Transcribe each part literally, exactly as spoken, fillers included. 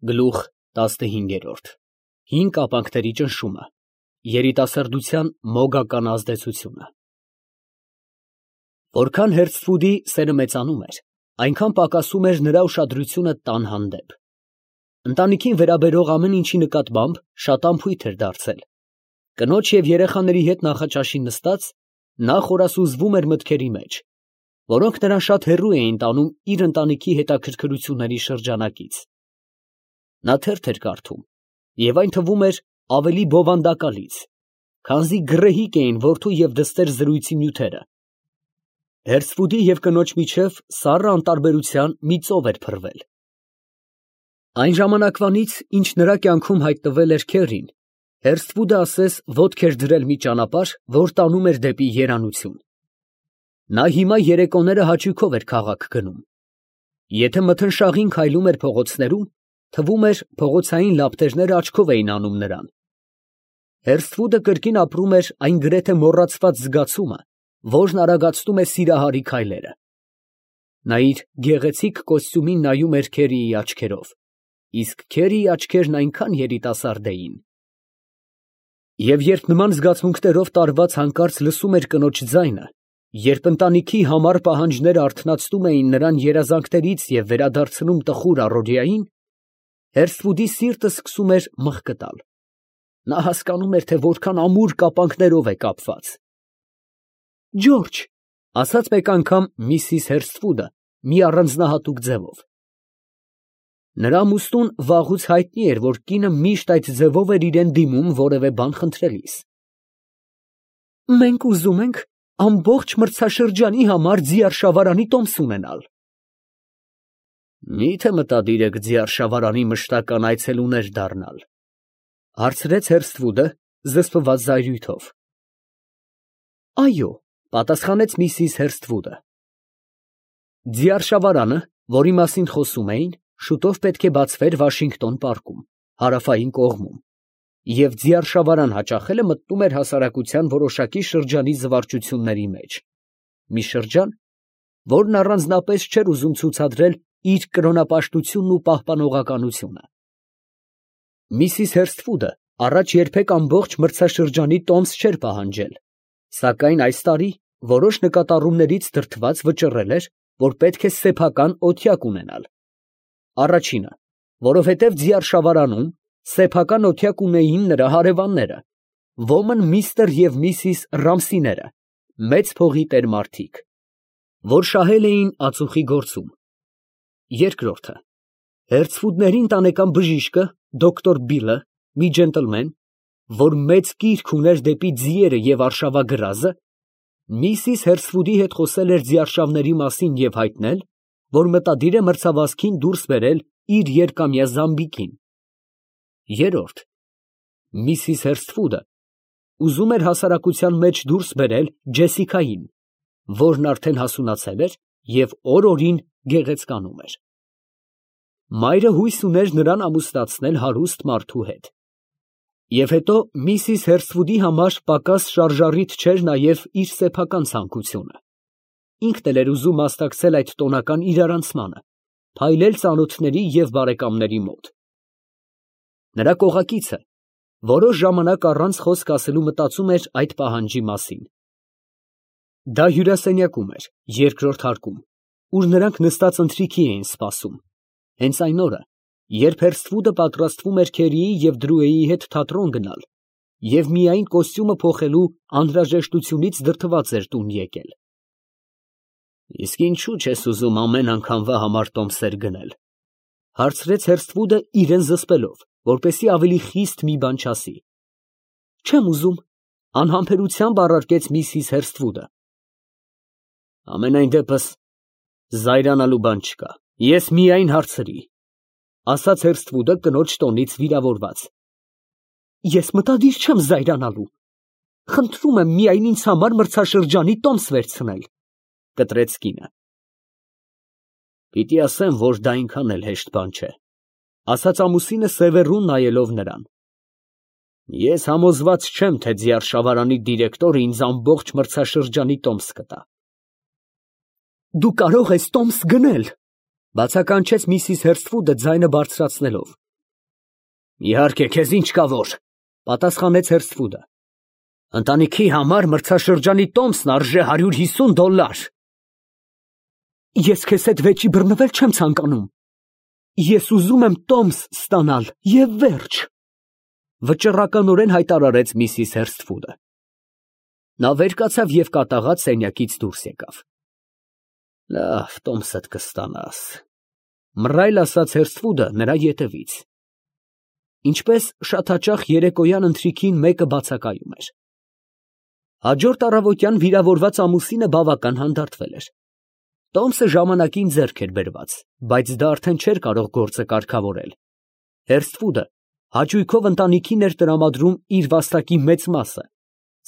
Գլուխ տասնհինգ. Հին կապանքների ճնշումը, երիտասարդության մոգական ազդեցությունը։ Որքան Հերցֆուդի սերը մեծանում էր, այնքան պակասում էր նրա ուշադրությունը տան հանդեպ։ Ընտանիքին վերաբերող ամեն ինչի նկատմամբ շատ անփույթ էր դարձել։ Կնոջ և երեխաների հետ նախաճաշին նստած, նա խորասուզվում էր մտքերի մեջ, որոնք նրան շատ հեռու էին տանում իր ընտանիքի հետաքրքրությունների շրջանակից։ Նա թերթ էր կարդում, և այն թվում էր ավելի բովանդակալից, քանզի գռեհիկ էին որդու և դստեր զրույցի նյութերը։ Հերցֆուդի և կնոջ միջև սառը անտարբերության մի ծով էր փռվել։ Այն ժամանակվանից, ինչ նրա կյանքում հայտնվել էր քեռին, Հերցֆուդը ասես ոտք էր դրել մի ճանապարհ, որ տանում էր դեպի երանություն։ Նա հիմա երեկոները հաճույքով էր քաղաք գնում։ Եթե մթնշաղին քայլում էր փողոցներում, թվում էր փողոցային լապտերները աչքով էին անում նրան։ Հերցֆուդը կրկին ապրում էր այն գրեթե մոռացված զգացումը, որն արագացնում է սիրահարի քայլերը։ Նա իր գեղեցիկ կոստյումին նայում էր քերիի աչքերով, իսկ քերիի աչքերն այնքան երիտասարդ էին։ Եվ երբ նման զգացմունքներով տարված հանկարծ լսում էր կնոջ ձայնը, երբ ընտանիքի համառ պահանջները արթնացնում էին նրան երազանքներից և վերադարձնում տխուր առօրյային, Հերցֆուդի սիրտը սկսում էր մղկտալ։ Նա հասկանում էր, թե որքան ամուր կապանքներով է կապված։ ֊ Ջորջ, ֊ ասաց մեկ անգամ միսիս Հերցֆուդը մի առանձնահատուկ ձևով։ Նրա ամուսնուն վաղուց հայտնի էր, որ կինը միշտ այդ ձևով էր իրան դիմում որևէ բան խնդրելիս։ ֊ Մենք ուզում ենք ամբողջ մրցաշրջանի համար ձիարշավարանի տոմս ունենալ։ ֊ Մի՞թե մտադիր եք ձիարշավարանի մշտական այցելուներ դառնալ, ֊ հարցրեց Հերցֆուդը զսպված զայրույթով։ ֊ Այո, ֊ պատասխանեց միսիս Հերցֆուդը։ Ձիարշավարանը, որի մասին խոսում էին, շուտով պետք է բացվեր Վաշինգտոն պարկում, հարավային կողմում, և ձիարշավարան հաճախելը մտնում էր հասարակության որոշակի շրջանի զվարճությունների մեջ, մի շրջան, որն առանձնապես չէր ուզում ցուցադրել իր կրոնապաշտությունն ու պահպանողականությունը։ Միսիս Հերցֆուդը առաջ երբեք ամբողջ մրցաշրջանի տոմս չէր պահանջել, սակայն այս տարի որոշ նկատառումներից դրդված վճռել էր, որ պետք է սեփական օթյակ ունենալ։ Առաջինը, որովհետև ձիարշավարանում սեփական օթյակ ունեին նրա հարևանները, ոմն միստր և միսիս Ռամսիները, մեծ փողի տեր֊մարդիկ, որ շահել էին ածուխի գործում։ Երկրորդը, Հերցֆուդների ընտանեկան բժիշկը, դոկտոր Բիլը, մի ջենտլմեն, որ մեծ կիրք ուներ դեպի ձիերը և արշավագրազը, միսիս Հերցֆուդի հետ խոսել էր ձիարշավների մասին և հայտնել, որ մտադիր է մրցավազքին դուրս բերել իր երկամյա Զամբիկին։ Երրորդ, միսիս Հերցֆուդը ուզում էր հասարակության մեջ դուրս բերել Ջեսիկային, որն արդեն հասունացել էր և օր֊օրին գեղեցկանում էր։ Մայրը հույս ուներ նրան ամուսնացնել հարուստ մարդու հետ։ Եվ հետո միսիս Հերցֆուդի համար պակաս շարժառիթ չէր նաև իր սեփական ցանկությունը։ Ինքն էլ էր ուզում մասնակցել այդ տոնական իրարանցմանը, փայլել ծանոթների և բարեկամների մոտ։ Նրա կողակիցը որոշ ժամանակ առանց խոսք ասելու մտածում էր այդ պահանջի մասին։ Դա հյուրասենյակում էր, երկրորդ հարկում, ուր նրանք նստած ընթրիքի էին սպասում, հենց այն օրը, երբ Հերցֆուդը պատրաստվում էր քերիի և Դրուեի հետ թատրոն գնալ և միայն կոստյումը փոխելու անհրաժեշտությունից դրդված էր տուն եկել։ ֊ Իսկ ինչո՞ւ չես ուզում ամեն անգամվա համար տոմսեր գնել, ֊ հարցրեց Հերցֆուդը իրան զսպելով, որպեսզի ավելի խիստ մի բան չասի։ ֊ Չեմ ուզում, ֊ անհամբերությամբ առարկեց միսիս Հերցֆուդը։ ֊ Համենայն դեպս զայրանալու բան չկա, ես միայն հարցրի, ֊ ասաց Հերցֆուդը կնոջ տոնից վիրավորված։ ֊ Ես մտադիր չեմ զայրանալու, խնդրում եմ միայն ինձ համար մրցաշրջանի տոմս վերցնել, ֊ կտրեց կինը։ ֊ Պիտի ասեմ, որ դա այնքան էլ հեշտ բան չէ, ֊ ասաց ամուսինը սևեռուն նայելով նրան։ Ես համոզված չեմ, թե ձիարշավարանի դիրեկտորը ինձ ամբողջ մրցաշրջանի տոմս կտա։ ֊ Դու կարող ես տոմս գնել, ֊ բացականչեց միսիս Հերցֆուդը ձայնը բարձրացնելով, Իհարկե, քեզ ինչ կա որ, պատասխանեց Հերսթվուդը։ Ընտանիքի համար մրցաշրջանի տոմսն արժե հարյուր հիսուն դոլար։ Ես քեզ հետ վեճի բռնվել չեմ ցանկանում։ Ես ուզում եմ տոմս ստանալ եւ վերջ, վճռականորեն հայտարարեց միսիս Հերսթվուդը։ Նա վեր կացավ եւ կատաղած սենյակից դուրս եկավ։ Լավ, տոմսդ կստանաս, մռայլ ասաց Հերսթվուդը նրա ետևից։ Ինչպես շատ հաճախ երեկոյան ընթրիքին մեկը բացակայում էր։ Հաջորդ առավոտյան վիրավորված ամուսինը բավական հանդարտվել էր։ Տոմսը ժամանակին ձեռք էր բերված, բայց դա արդեն չէր կարող գործը կարգավորել։ Հերսթվուդը հաճույքով ընտանիքին էր տրամադրում իր վաստակի մեծ մասը,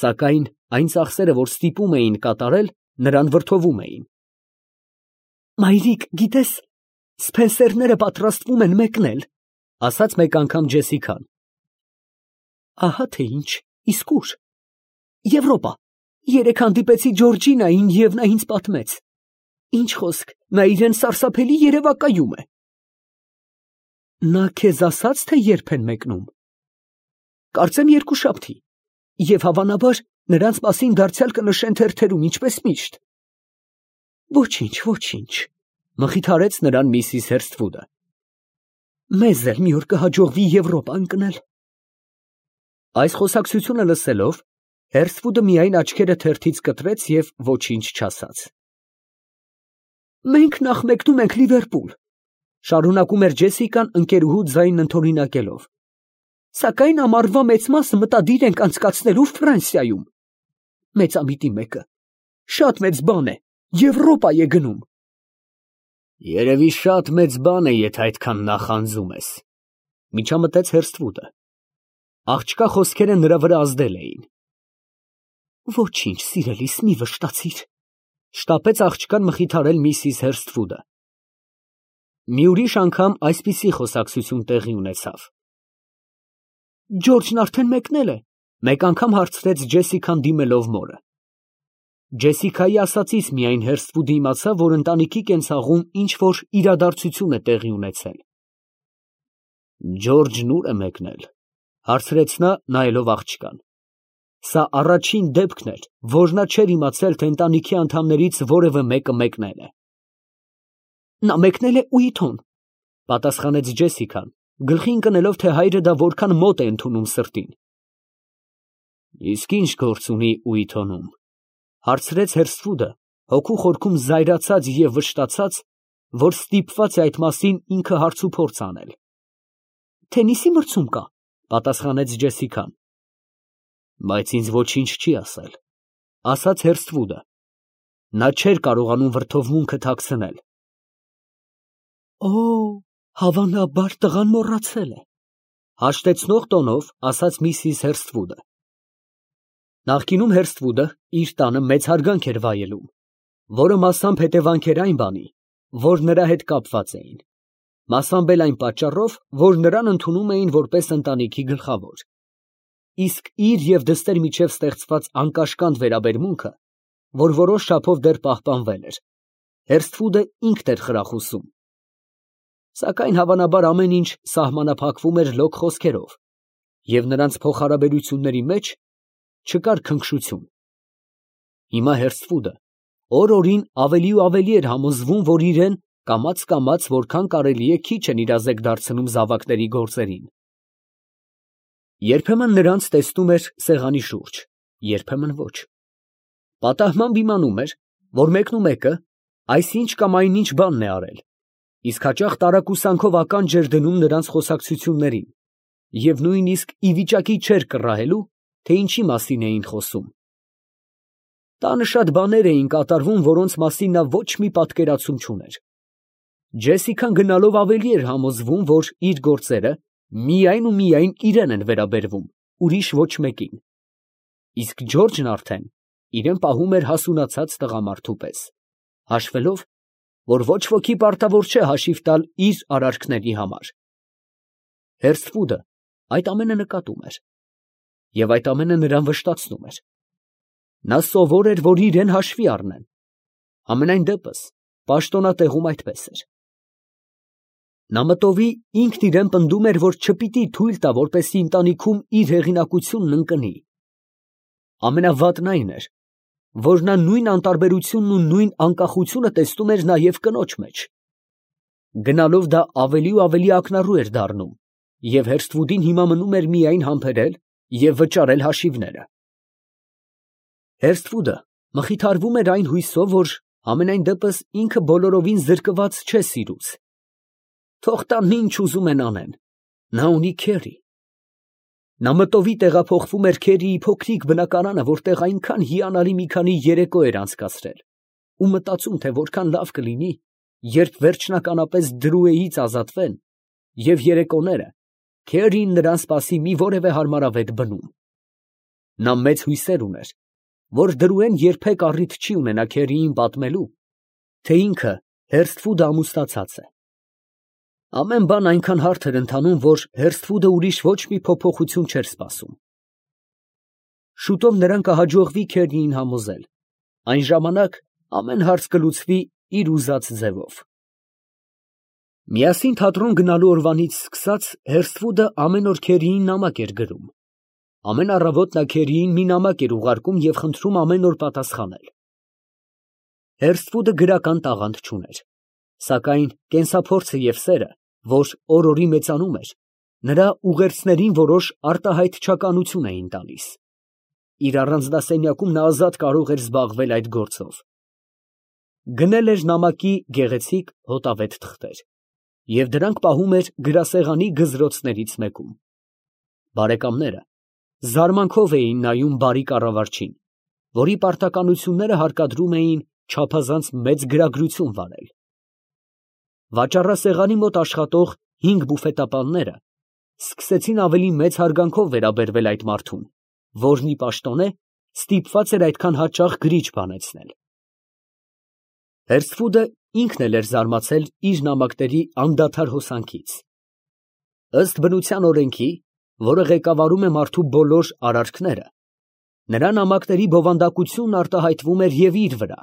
սակայն այն ծախսերը, որ ստիպում էին կատարել, նրան վրդովում էին։ Մայրիկ, գիտես, Սփենսերները պատրաստվում են մեկնել, ասաց մեկ անգամ Ջեսիկան։ Ահա թե ինչ, իսկ ուր։ Եվրոպա։ Երեկ հանդիպեցի Ջորջինային և նա ինձ պատմեց։ Ինչ խոսք, նա իրեն սարսափելի երևակայում է։ Նա քեզ ասաց, թե երբ են մեկնում։ Կարծեմ երկուշաբթի, և հավանաբար նրանց մասին դարձյալ կնշեն թերթերում, ինչպես միշտ։ Ոչինչ, ոչինչ, մխիթարեց նրան միսիս Հերսթվուդը։ Մեզ էլ մի օր կհաջողվի Եվրոպա ընկնել։ Այս խոսակցությունը լսելով, Հերսթվուդը միայն աչքերը թերթից կտրեց և ոչինչ չասաց։ Մենք նախ մեկնում ենք Լիվերպուլ, շարունակում էր Ջեսիկան ընկերուհու ձայնն ընդօրինակելով։ Սակայն ամառվա մեծ մասը մտադիր ենք անցկացնելու Ֆրանսիայում։ Մեծամիտի մեկը։ Շատ մեծ բան է, Եվրոպա է գնում։ Երևի շատ մեծ բան է, եթե այդքան նախանձում ես, միջամտեց Հերսթվուդը։ Աղջկա խոսքերը նրա վրա ազդել էին։ Ոչինչ, սիրելիս, մի վշտացիր, շտապեց աղջկան մխիթարել միսիս Հերսթվուդը։ Մի ուրիշ անգամ այսպիսի խոսակցություն տեղի ունեցավ։ Ջորջն արդեն մեկնել է, մեկ անգամ հարցրեց Ջեսիկան դիմելով մորը։ Ջեսիկայի ասածից միայն Հերսթվուդը իմացավ, որ ընտանիքի կենցաղում ինչ-որ իրադարձություն է տեղի ունեցել։ Ջորջն ուր է մեկնել, հարցրեց նա, նայելով աղջկան։ Սա առաջին դեպքն էր, որ նա չէր իմացել, թե ընտանիքի անդամներից որևէ մեկը մեկնել է։ Նա մեկնել է Ուիթոն, պատասխանեց Ջեսիկան, գլխի ընկնելով, թե հայրը դա որքան մոտ է ընդունում սրտին։ Իսկ ինչ գործ ունի Ուիթոնում, հարցրեց Հերսթվուդը, հոգու խորքում զայրացած և վշտացած, որ ստիպված է այդ մասին ինքը հարցուփորձ անել։ Թենիսի մրցում կա, պատասխանեց Ջեսիկան։ Բայց ինձ ոչինչ չի ասել, ասաց Հերսթվուդը։ Նա չէր կարողանում վրդովմունքը թաքցնել։ Օ, հավանաբար տղան մոռացել է, հաշտեցնող տոնով ասաց միսիս Հերսթվուդը։ Նախկինում Հերսթվուդը իր տանը մեծ հարգանք էր վայելում, որը մասամբ հետևանք էր այն բանի, որ նրա հետ կապված էին, մասամբ էլ այն պատճառով, որ նրան ընդունում էին որպես ընտանիքի գլխավոր։ Իսկ իր և դստեր միջև ստեղծված անկաշկանդ վերաբերմունքը, որ որոշ չափով դեռ պահպանվել էր, Հերսթվուդը ինքն էր խրախուսում։ Սակայն հավանաբար ամեն ինչ սահմանափակվում էր լոկ խոսքերով, և նրանց փոխհարաբերությունների մեջ չկար քնքշություն։ Հիմա Հերսթվուդը օր֊օրին ավելի ու ավելի էր համոզվում, որ իրեն կամաց֊կամաց որքան կարելի է քիչ են իրազեկ դարձնում զավակների գործերին։ Երբեմն նրանց տեսնում էր սեղանի շուրջ, երբեմն ոչ։ Պատահմամբ իմանում էր, որ մեկնումեկը այսինչ կամ այնինչ բանն է արել, իսկ հաճախ տարակուսանքով ականջ էր դնում նրանց խոսակցություններին և նույնիսկ ի վիճակի չէր կռահելու, թե ինչի մասին էին խոսում։ Տանը շատ բաներ էին կատարվում, որոնց մասին նա ոչ մի պատկերացում չուներ։ Ջեսիկան գնալով ավելի էր համոզվում, որ իր գործերը միայն ու միայն իրեն են վերաբերվում, ուրիշ ոչ մեկին։ Իսկ Ջորջն արդեն իրեն պահում էր հասունացած տղամարդու պես, հաշվելով, որ ոչ ոքի պարտավոր չէ հաշիվ տալ իր արարքների համար։ Հերսթվուդը այդ ամենը նկատում էր, և այդ ամենը նրան վշտացնում էր։ Նա սովոր էր, որ իրեն հաշվի առնեն։ Համենայն դեպս, պաշտոնատեղում այդպես էր։ Նա մտովի ինքն իրեն պնդում էր, որ չպիտի թույլ տա, որպեսզի ընտանիքում իր հեղինակությունն ընկնի։ Ամենավատն այն էր, որ նա նույն անտարբերությունն ու նույն անկախությունը տեսնում էր նաև կնոջ մեջ։ Գնալով դա ավելի ու ավելի ակնառու էր դառնում, և Հերսթվուդին հիմա մնում էր միայն համբերել և վճարել հաշիվները։ Հերսթվուդը մխիթարվում էր այն հույսով, որ համենայն դեպս ինքը բոլորովին զրկված չէ սիրուց։ Թող տան ինչ ուզում են անեն, նա ունի քերի։ Նա մտովի տեղափոխվում էր քերիի փոքրիկ բնակարանը, որտեղ այնքան հիանալի մի քանի երեկո էր անցկացրել, ու մտածում, թե որքան լավ կլինի, երբ վերջնականապես Դրուեից ազատվեն, և երեկոները քերին նրան սպասի մի որևէ հարմարավետ բնում։ Նա մեծ հույսեր ուներ, որ Դրուեն երբեք առիթ չի ունենա քերիին պատմելու, թե ինքը Հերսթվուդը ամուսնացած է։ Ամեն բան այնքան հարթ էր ընթանում, որ Հերսթվուդը ուրիշ ոչ մի փոփոխություն չէր սպասում։ Շուտով նրան կհաջողվի քերիին համոզել, այն ժամանակ ամեն հարց կլուծվի իր ուզած ձևով։ Միասին թատրոն գնալու օրվանից սկսած Հերսթվուդը ամեն օր քերիին նամակ էր գրում։ Ամեն առավոտ նա քերիին մի նամակ էր ուղարկում և խնդրում ամեն օր պատասխանել։ Հերսթվուդը գրական տաղանդ չուներ, սակայն կենսափորձը և սերը, որ օր֊օրի մեծանում էր, նրա ուղերձներին որոշ արտահայտչականություն էին տալիս։ Իր առանձնասենյակում նա ազատ կարող էր զբաղվել այդ գործով։ Գնել էր նամակի գեղեցիկ հոտավետ թղթեր և դրանք պահում էր գրասեղանի գզրոցներից մեկում։ Բարեկամները զարմանքով էին նայում բարի կառավարչին, որի պարտականությունները հարկադրում էին չափազանց մեծ գրագրություն վարել։ Վաճառասեղանի մոտ աշխատող հինգ բուֆետապանները սկսեցին ավելի մեծ հարգանքով վերաբերվել այդ մարդուն, որն ի պաշտոնե ստիպված էր այդքան հաճախ գրիչ բանեցնել։ Հերսթվուդը ինքն էլ էր զարմացել իր նամակների անդադար հոսանքից։ Ըստ բնության օրենքի, որը ղեկավարում է մարդու բոլոր արարքները, նրա նամակների բովանդակությունն արտահայտվում էր և իր վրա։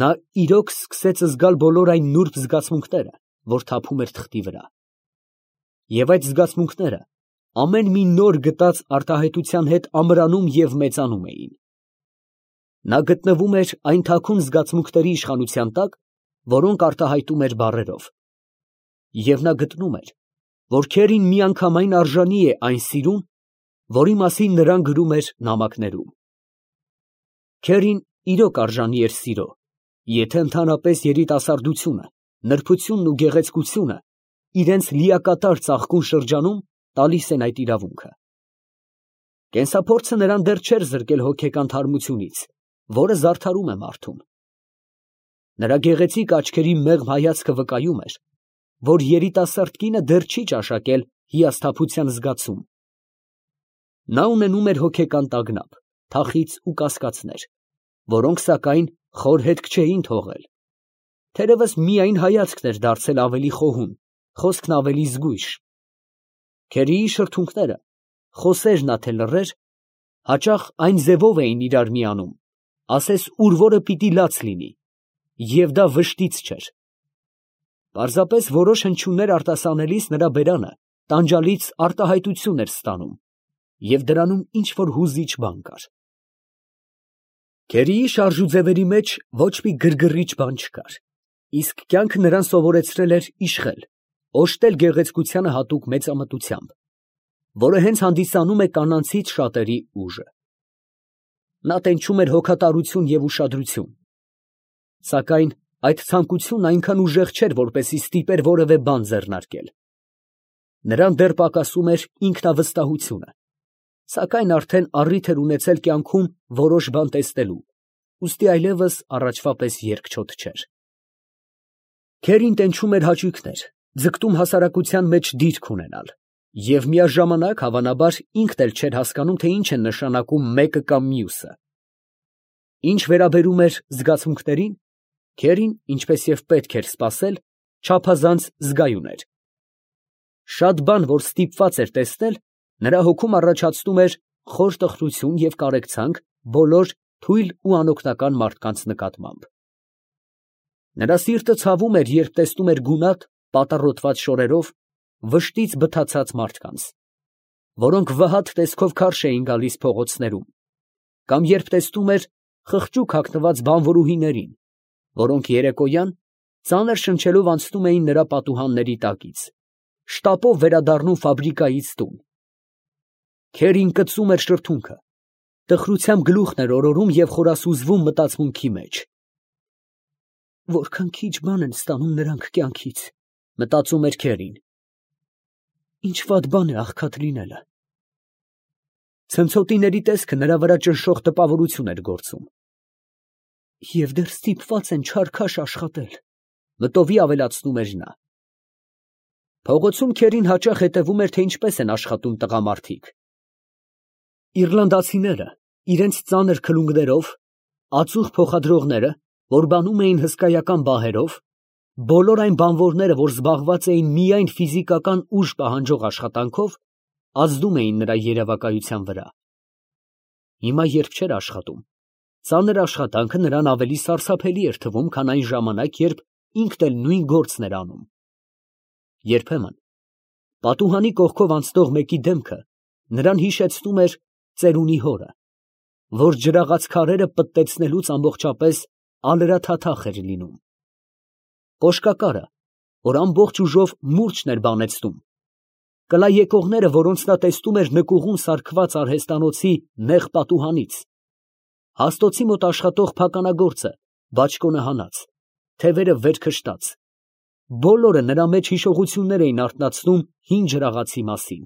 Նա իրոք սկսեց զգալ բոլոր այն նուրբ զգացմունքները, որ թափում էր թղթի վրա։ Եվ այդ զգացմունքները ամեն մի նոր գտած արտահայտության հետ ամրանում և մեծանում էին։ Նա գտնվում էր այն թաքուն զգացմունքների իշխանության տակ, որոնք արտահայտում էր բառերով։ Եվ նա գտնում էր, որ քերին միանգամայն արժանի է այն սիրուն, որի մասին նրան գրում էր նամակներում։ Քերին իրոք արժանի էր սիրո, եթե ընդհանրապես երիտասարդությունը, նրբությունն ու գեղեցկությունը իրենց լիակատար ծաղկուն շրջանում տալիս են այդ իրավունքը։ Կենսափորձը նրան դեռ չէր զրկել հոգեկան թարմությունից, որը զարդարում է մարդուն։ Նրա գեղեցիկ աչքերի մեղմ հայացքը վկայում էր, որ երիտասարդ կինը դեռ չի ճաշակել հիասթափության զգացում։ Նա ունենում էր հոգեկան տագնապ, թախիծ ու կասկածներ, որոնք սակայն խոր հետք չէին թողել։ Թերևս միայն հայացքն էր դարձել ավելի խոհուն, խոսքն ավելի զգույշ։ Քերիի շրթունքները, խոսեր նա թե լռեր, հաճախ այն ձևով էին իրար միանում, ասես ուր որը պիտի լաց լինի, և դա վշտից չէր։ Պարզապես որոշ հնչյուններ արտասանելիս նրա բերանը տանջալից արտահայտություն էր ստանում, և դրանում ինչ֊որ հուզիչ բան կար։ Քերիի շարժուձևերի մեջ ոչ մի գրգռիչ բան չկար, իսկ կյանքը նրան սովորեցրել էր իշխել, օժտել գեղեցկությանը հատուկ մեծամտությամբ, որը հենց հանդիսանում է կանանցից շատերի ուժը։ Նա տենչում էր հոգատարություն և ուշադրություն, սակայն այդ ցանկությունն այնքան ուժեղ չէր, որպեսզի ստիպեր որևէ բան ձեռնարկել։ Նրան դեռ պակասում էր ինքնավստահությունը, սակայն արդեն առիթ էր ունեցել կյանքում որոշ բան տեսնելու, ուստի այլևս առաջվա պես երկչոտ չէր։ Քերին տենչում էր հաճույքներ, ձգտում հասարակության մեջ դիրք ունենալ, և միաժամանակ, հավանաբար, ինքն էլ չէր հասկանում, թե ինչ է նշանակում մեկը կամ մյուսը։ Ինչ վերաբերում էր զգացմունքներին, քերին, ինչպես և պետք էր սպասել, չափազանց զգայուն էր։ Շատ բան, որ ստիպված էր տեսնել, նրա հոգում առաջացնում էր խոր տխրություն և կարեկցանք բոլոր թույլ ու անօգնական մարդկանց նկատմամբ։ Նրա սիրտը ցավում էր, երբ տեսնում էր գունատ, պատառոտված շորերով, վշտից բթացած մարդկանց, որոնք վհատ տեսքով քարշ էին գալիս փողոցներում, կամ երբ տեսնում էր խղճուկ հագնված բանվորուհիներին, որոնք երեկոյան ծանր շնչելով անցնում էին նրա պատուհանների տակից, շտապով վերադառնում ֆաբրիկայից տուն։ Քերին կծում էր շրթունքը, տխրությամբ գլուխն էր օրորում և խորասուզվում մտածմունքի մեջ։ Որքան քիչ բան են ստանում նրանք կյանքից, մտածում էր Քերին։ Ինչ վատ բան է աղքատ լինելը։ Ցնցոտիների տեսքը նրա վրա ճնշող տպավորություն էր գործում։ Եվ դեռ ստիպված են չարքաշ աշխատել, մտովի ավելացնում էր նա։ Փողոցում Քերին հաճախ հետևում էր, թե ինչպես են աշխատում տղամարդիկ։ Իռլանդացիները իրենց ծանր քլունգներով, ածուխ փոխադրողները, որ բանում էին հսկայական բահերով, բոլոր այն բանվորները, որ զբաղված էին միայն ֆիզիկական ուժ պահանջող աշխատանքով, ազդում էին նրա երևակայության վրա։ Հիմա երբ չէր աշխատում, ծանր աշխատանքը նրան ավելի սարսափելի էր թվում, քան այն ժամանակ, երբ ինքն էլ նույն գործն էր անում։ Երբեմն պատուհանի կողքով անցնող մեկի դեմքը նրան հիշեցնում էր ծերունի հորը, որ ջրաղաց քարերը պտտեցնելուց ամբողջապես ալրաթաթախ էր լինում։ Կոշկակարը, որ ամբողջ ուժով մուրճն էր բանեցնում, կլա եկողները, որոնց նա տեսնում էր նկուղում սարքված արհեստանոցի նեղ պատուհանից, հաստոցի մոտ աշխատող փականագործը, բաճկոնը հանած, թևերը վեր քշտած, բոլորը նրա մեջ հիշողություններ էին արթնացնում հին ջրաղացի մասին։